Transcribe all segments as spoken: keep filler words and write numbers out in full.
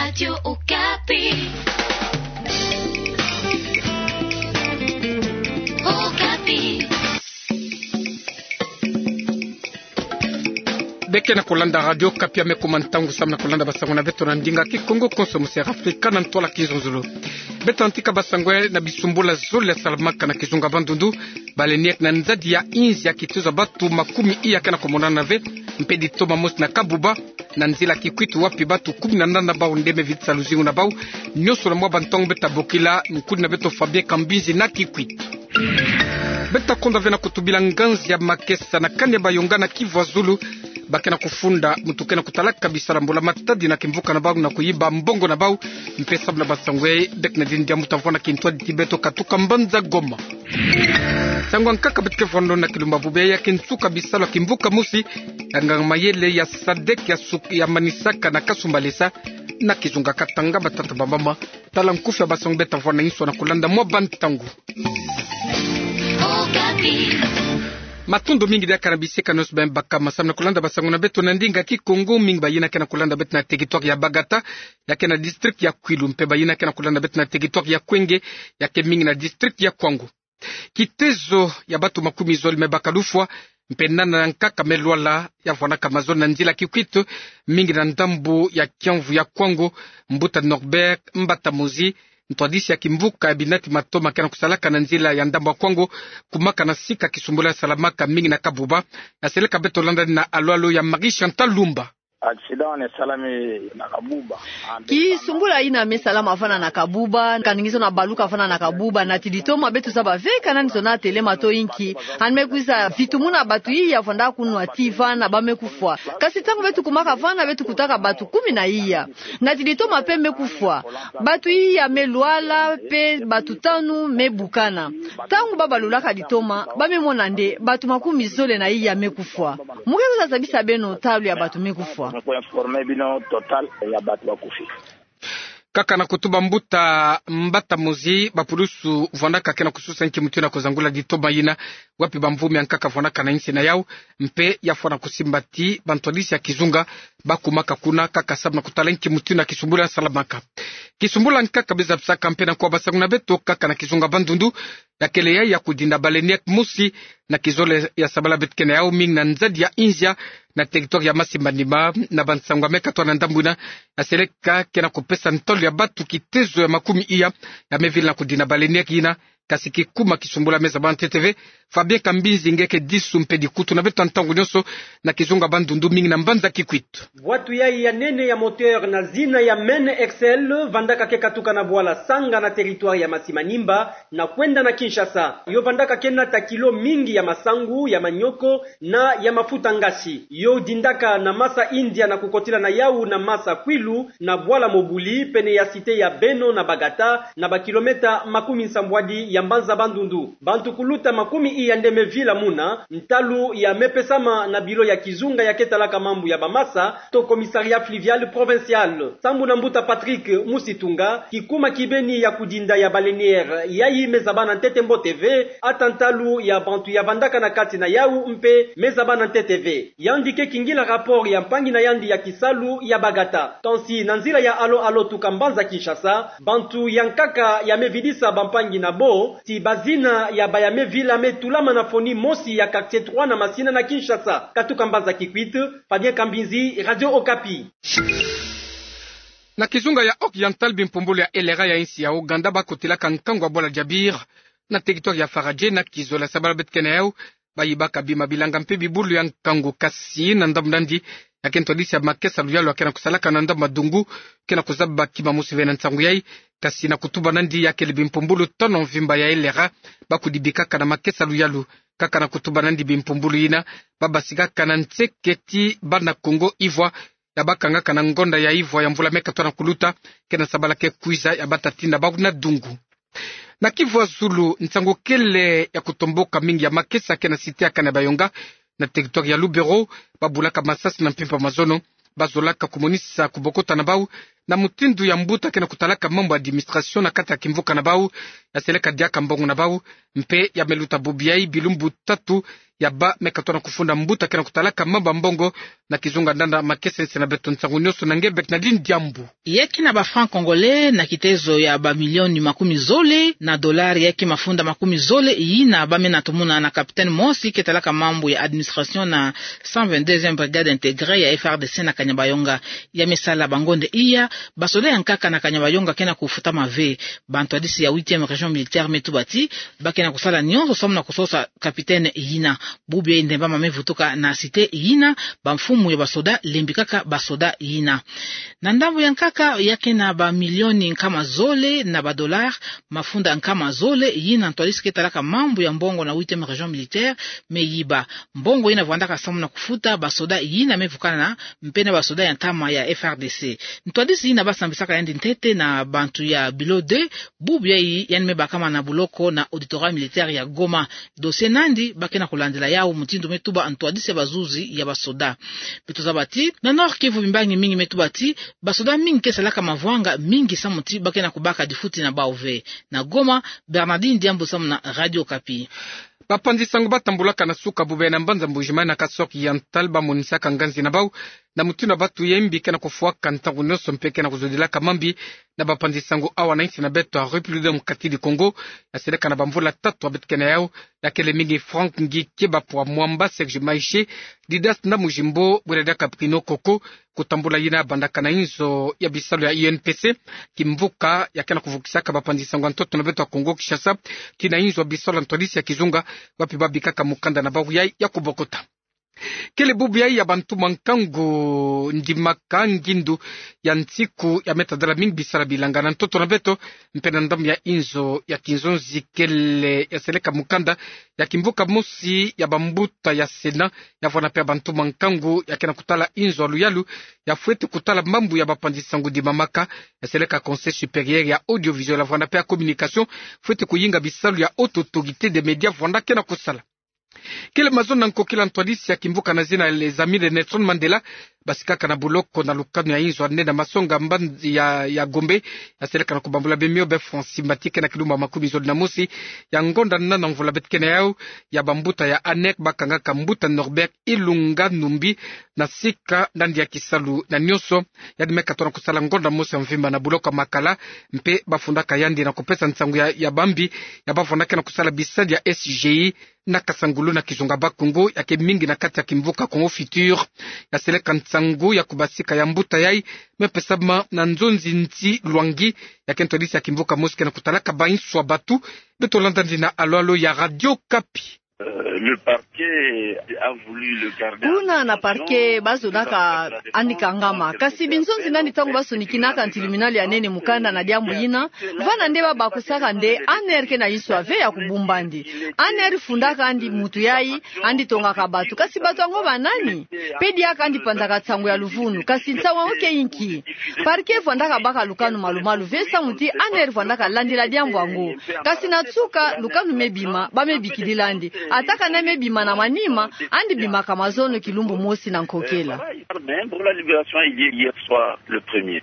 Radio Okapi. Okapi. Beke na kolanda Radio Okapi, ya me kuma ntangu samu na kolanda basango na beto na ndinga Kikongo konso mu se Afrika na ntwala kizunzulu. Beto antika basango na bisumbula zole ya salamaka na kizunga Bandundu. Baleinière na nzadi ya inzi ya kitezo ya batu makumi iya ke na komonana ve, mpe ditoma mosi na Kabuba, na nzila Kikwit, wapi batu kumi na nana bau nde me vidisa luzingu na bau. Nyonso na mwa bantangu beto ta bokila nkudi na beto Fabien Kambinzi na Kikwit. Beto ta konda ve na kutubila nganzi ya makesa na kani ya bayonga na Kivu ya Zulu. Ba ke na kufunda muntu ke na kutalaka bisalu ya mbula matadi na kimvuka na bau na kuyiba mbongo na bau. Mpe samu na basango yayi, beke na dini dia mbuta mvwama na kintwadi ti beto katuka mbanza Goma. Nsangu ya nkaka beto ke vwando na kilumbu bubu yayi ya ke nsuka bisalu ya kimvuka mosi ya nganga mayele ya sadek ya suk-, ya manisaka na kasumbalesa na kizunga Katanga. Batata, bamama, tala nkufi ya basango beto ta vwanda inso na kolanda mwa bantangu. Matondo mingi diaka na bisika nyonso ba me baka masamu na kolanda basango na beto na ndinga Kikongo. Mingi bayina ke na kolanda beto na territoire ya Bagata, ya ke na district ya Kwilu, mpe bayina ke na kolanda beto na territoire ya Kwenge, ya ke mingi na district ya Kwango. Kitezo ya batu makumi zole me baka lufwa, mpe nana ya nkaka me lwala, ya vwanaka mazole na nzila Kikwit, mingi na ndambu ya kiamvu ya Kwango. Mbuta Norbert Mbatamozi, ntwadisi ya kimvuka ya binati matoma ke na kusalaka na nzila ya ndambu ya Kwango, kumaka na sika kisumbula ya salamaka mingi na Kabuba. Ya seleka beto landa ni na alo-alo ya Marie Chantal Lumba. Accident ina salama na Kabuba. Kisumbula ina me salama vana na Kabuba, kani ngizo na baluka vana na Kabuba, nati ditoma beto zaba ve ka nani zona telema to inki. Ani me kwiza vitumuna batu iya vwanda kunwa ti vana ba me kufwa. Kasi ntangu beto kumaka vana, beto kutaka batu kumi na iya. Nati ditoma mpe me kufwa. Batu iya me lwala, mpe batu tanu me bukana. Ntangu ba balulaka ditoma, ba me mona nde batu makumi zole na iya me kufwa. Mu ke kwiza zabisa beno ntalu ya batu me kufwa. Nkaka na kutuba mbuta Mbatamozi, bapulusu vwandaka ke na kususa nki mutu na kuzangula ditoma yina, wapi bamvumi ya nkaka vwandaka na insi na yau, mpe ya fwana kusimba ti bantwadisi ya kizunga ba kumaka kuna kaka samu na kutala nki mutu na kisumbula ya salamaka. Kisumbula nkaka be zabisaka mpe na kwa basango na beto kaka na kizunga Bandundu, ya kele yayi ya kudinda baleinière mosi na kizole ya sabala beto ke na yau, mingi na nzadi ya inzi ya na territoire ya Masimanima. Na bansangu ya me katuka na ndambu yina, ya seleka ke na kupesa ntalu ya batu kitezo ya makumi iya ya me vila na kudinda baleinière yina. Kasi kikuma kisumbula me zaba ntete ve. Fabien Kambinzi nge ke disu mpe dikutu na beto ntangu nyonso na kizunga Bandundu, mingi na mbanza Kikwit. Bwatu yayi ya nene ya moteur na zina ya Maine Excel vandaka ke katuka na bwala Sanga na territoire ya Masimanimba na kwenda na Kinshasa. Yo vandaka ke nata kilo mingi ya masangu, ya manioko na ya mafuta ngasi. Yo dindaka na masa India na kukotila na yau na masa Kwilu na bwala Mobuli, pene ya cité ya Beno na Bagata, na bakilometa makumi nsambwadi ya mbanza Bandundu. Bantu kuluta makumi iya nde me vila muna, ntalu ya me pesama na bilo ya kizunga ya ke talaka mambu ya bamasa, to Commissariat Fluvial Provincial. Sambu na mbuta Patrick Musitunga, kikuma kibeni ya kudinda ya baleinière yayi me zabana ntete mbote ve, ata ntalu ya bantu ya vandaka na kati na yau mpe me zabana ntete ve. Yandi ke kingila rapport ya mpangi na yandi ya kisalu ya Bagata. Kansi na nzila ya alo-alo tuka mbanza Kinshasa, bantu ya nkaka ya me vidisa bampangi na bo ti bazina ya baya me vila me tulama na foni mosi ya quartier trois na Masina na Kinshasa. Katuka mbanza Kikwit, Fabien Kambinzi, Radio Okapi. Na kizunga ya Oriental, bimpumbulu ya L R A ya insi ya Ouganda ba kotilaka nkangu ya bwala Jabir na territoire ya Faradje na kizole ya sabala beto ke na yau. Ba yibaka bima, bilanga mpe bibulu ya nkangu. Kasi na ndambu nandi, ya ke ntwadisi ya makesa luyalu ya ke na kusalaka na ndambu Madungu ke na kuzaba kima mosi ve na nsangu yayi. Kasi na kutuba nandi, ya kele bimpumbulu tanu mvimba ya L R A ba kudibikaka na makesa luyalu. Kaka na kutuba nandi, bimpumbulu yina ba basikaka na nseke ti bana Congo Ivoire ya ba kangaka na ngonda ya Ivoire ya mvula me katuka na kuluta ke na sabala ke kwiza ya ba ta tinda bau na dungu. Na Kivu ya Zulu, nsangu kele ya kutomboka mingi ya makesa ke na cité ya Kanabayonga, na territoire ya Lubero. Ba bulaka masasi na mpimpa mazono, ba zolaka kumonisa kubokota na bau na mutindu ya mbuta ke na kutalaka mambu ya administration na kati ya kimvuka na bau, ya seleka diaka mbongo na bau. Mpe ya me luta bubu yai bilumbu tatu ya bâ me katona kufunda mbuta ke na kutalaka mambu ya mbongo. Na kizunga ndanda makesa nsi na beto, nsangu nionso na nge Bernardine Diambu. Ya ke na ba francs congolais na kitezo ya ba milioni makumi zole, na dollars ya ke mafunda makumi zole yina bâ me na tumuna na capitaine mosi ke talaka mambu ya administration na cent vingt-deuxième brigade intégrée ya F R D C na Kanyabayonga. Ya me sala bangonde iya, basoda ya nkaka na Kanyabayonga ke na kufutama ve. Bantwadisi ya huitième région militaire me tuba ti ba ke na kusala nionso samu na kusosa capitaine yina. Bubu yai ndemba ma me vutuka na cité yina, bamfumu ya basoda lembikaka basoda yina. Na ndambu ya nkaka, ya ke na ba milioni nkama zole na ba dollars, mafunda nkama zole yina ntwadisi ke talaka mambu ya mbongo na huitième région militaire me yiba. Mbongo yina vwandaka samu na kufuta basoda yina me vukana mpe na basoda ya ntama ya F R D C. Ntwadisi yina ba sambisaka yandi ntete na bantu ya Bureau deux, bubu yai yandi me bakama na buloko na auditorat militaire ya Goma. Dossier nandi ba ke na kulandila yau, mutindu me tuba ntwadisi ya bazuzi ya basoda. Beto zaba ti na Nord-Kivu bimbangi mingi me tuba ti basoda mingi ke salaka mavwanga mingi samu ti ba ke na kubaka difuti na bau ve. Na Goma, Bernardine Diambu samu na Radio Okapi. Bapanzi sango ba tambulaka na suka bubu yai na mbanza Mbuji-Mayi na Kasaï Oriental ba monisaka nganzi na bau na mutindu ya batu ya mbi ke na kufwaka ntangu nionso mpe ke na kuzodilaka mambi na bapanzi sango awa na nsi na beto ya République Démocratique du Congo, ya seleka na bamvula tatu ya beto ke na yau. Ya kele mingi Franck Ngi Kieba Pwa Mwamba, Serge Maïche, Didas Ndamujimbo, bwela diaka Bruno Koko, kutambula yina bandaka na inzo ya bisalu ya U N P C, kimvuka ya ke na kuvukisaka bapanzi sango ya ntoto na beto ya Congo Kinshasa, kina inzo ya bisalu ya ntwadisi ya kizunga, wapi ba bikaka mukanda na bau yai ya kubokota. Kele bubu yai ya bantuma nkangu ndimaka ngindu ya nsiku ya me tadala mingi bisalu ya bilanga na ntoto na beto, mpe na ndambu ya inzo ya kinzonzi kele ya seleka mukanda ya kimvuka mosi ya bambuta ya Sénat, ya vwanda mpe ya bantuma nkangu ya ke na kutala inzo ya luyalu ya fwete kutala mambu ya bapanzi sango ndimamaka, ya seleka Conseil supérieur ya audiovisuel, ya vwanda mpe ya communication, fwete kuyinga bisalu ya Haute Autorité des Médias vwanda ke na kusala. Kele mazono na nkokila ntwadisi ya kimvuka na zina Les Amis de Nelson Mandela, basikaka na buloko na lukanu ya inzo ya nene ya masonga mbanzi ya, ya Gombe, ya seleka na kubambula bemio be Francis Mbati ke na kilumbu ya makumi zole na mosi ya ngonda nana mvula beto ke na yau, ya bambuta ya ANR ba kangaka mbuta Norbert Ilunga Numbi na sika nandi ya kisalu na nionso. Yandi me katona kusala ngonda mosi ya mvimba na buloko ya Makala, mpe ba fundaka yandi na kupesa nsangu ya, ya bambi ya ba vwandaka na kusala bisalu ya S G I na Kasangulu na kizunga Bas-Congo, ya ke mingi na kati ya kimvuka Congo Futur. Ya seleka nsangu ya kubasika ya mbuta yai me pesama na Nzonzi Nti Lwangi, ya ke ntwadisi ya kimvuka mosi ke na kutalaka ba inso ya batu. Beto landa nzina alo alo ya Radio Okapi. Euh, le parquet a voulu le garder. Kuna na parquet ba zodaka andi kangama. Kasi binzonzi nandi ntangu ba sonikinaka tribunal ya nene mukanda na diambu yina, vana nde ba bakusaka nde ANR ke na inso ya ve ya kubumb'andi. ANR fundaka andi mutu yai, andi tongaka batu. Kasi batu yango ba nani? Pe diaka andi panzaka nsangu ya luvunu. Kasi nsangu yango ke inki? Parquet vwandaka baka lukanu malu-malu ve samu ti ANR vwandaka landila diambu yango. Kasi na nsuka, lukanu me bima, ba me bikidila andi. Ata kana me bima na manima, andi bimaka mazono kilumbu mosi na nkokila. Pour la libération, il y a hier soir, le premier.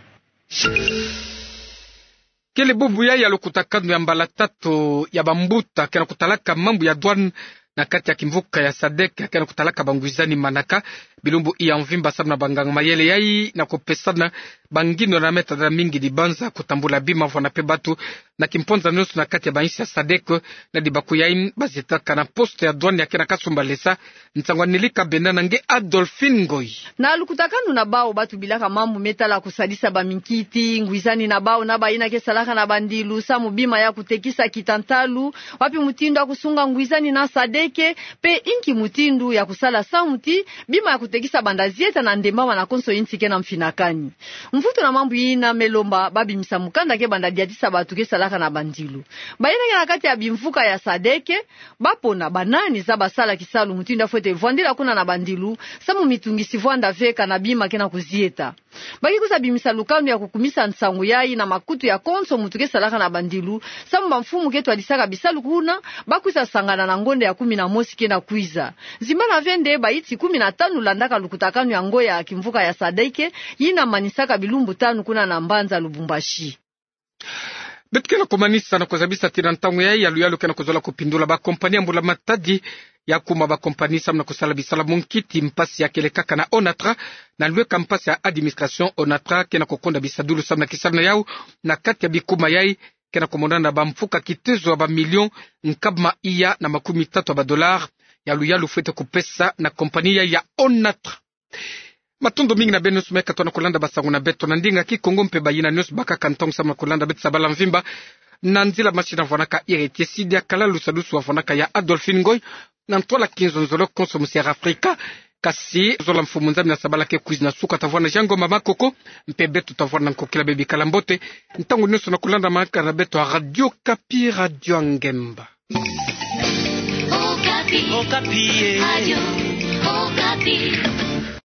Kele bubu yai ya lukutakanu ya mbala tatu ya bambuta ke na kutalaka mambu ya douane na kati ya kimvuka ya SADC, ke na kutalaka bangwizani manaka, bilumbu ya mvimba samu na banganga mayele yai na kupesana bangindu na me tadala mingi dibanza kutambula bima vwanda mpe batu na kimponza nionso na kati ya bainsi ya SADC. Na dibaku yai ba zietaka na poste ya douane ya ke na Kasumbalesa, nsangu ya Nelly Kabenda na nge Adolphine Ngoyi. Na lukutakanu na bau ba tubilaka mambu me tala kusadisa baminkiti, ngwizani na bau na bayina ke salaka na bandilu samu bima ya kutekisa kita ntalu, wapi mutindu ya kusunga ngwizani na SADC, pe inki mutindu ya kusala samu ti bima ya kutekisa banda zieta na ndembama na konso insi ke na mfinakani. Mvutu na mambu yina me lomba ba bimisa mukanda ke banda diatisa batu ke salaka na bandilu. Bayina ke na kati ya bimvuka ya SADC, ba pona banani za ba sala kisalu mutindu ya fwete vwandila kuna na bandilu, samu mitungisi vwanda ve kana bima ke na kuzieta. Ba ke kwiza bimisa lukanu ya kukumisa nsangu yai na makutu ya konso mutu ke salaka na bandilu, samu bamfumu ke twadisaka bisalu kuna, ba kwiza sangana na ngonda ya kumi na mosi ke na kwiza. Zimbana ve nde baiti kumi na tanu landaka lukutakanu yango ya kimvuka ya sadeke, yina manisaka bilumbu tanu kuna na mbanza Lubumbashi. Beto ke na kumanisa na kuzabisa ti na ntangu yayi, yaluyalu ke na kuzola kupindula bakompani ya mbula-matadi ya kuma bakompani samu na kusala bisalu ya munkiti. Mpasi ya kele kaka na Onatra na lweka mpasi ya administration. Onatra ke na kukonda bisadulu samu na kisalu na yau na kati ya bikuma yayi, ke na kumonana na bamfuka kitezo ya bamilion nkabama iya na makumi tatu ya badolari. Yaluyalu fwete kupesa na kompani yayi ya Onatra. Matondo mingi na beno nyonso me katuka na kulanda basangu na beto na ndinga Kikongo mpe bayina nyonso bakaka ntangu samu na kulanda beto sabala mvimba. Na nzila machine avwanaka Héritier Sidi, akala lusadusu avwanaka ya Adolphine Ngoy, na ntwala kinzonzolo konso musi'Afrika. Kasi zola Mfumu Nzambi na sabala ke kwiza na suka, tavwanda Jean Ngoma Makoko, mpe beto tavwanda na nkokila bebikala mbote ntangu nyonso na kulanda manaka na beto ya Radio Okapi, Radio ya Ngemba. Okapi. Okapi, eh. Radio Okapi.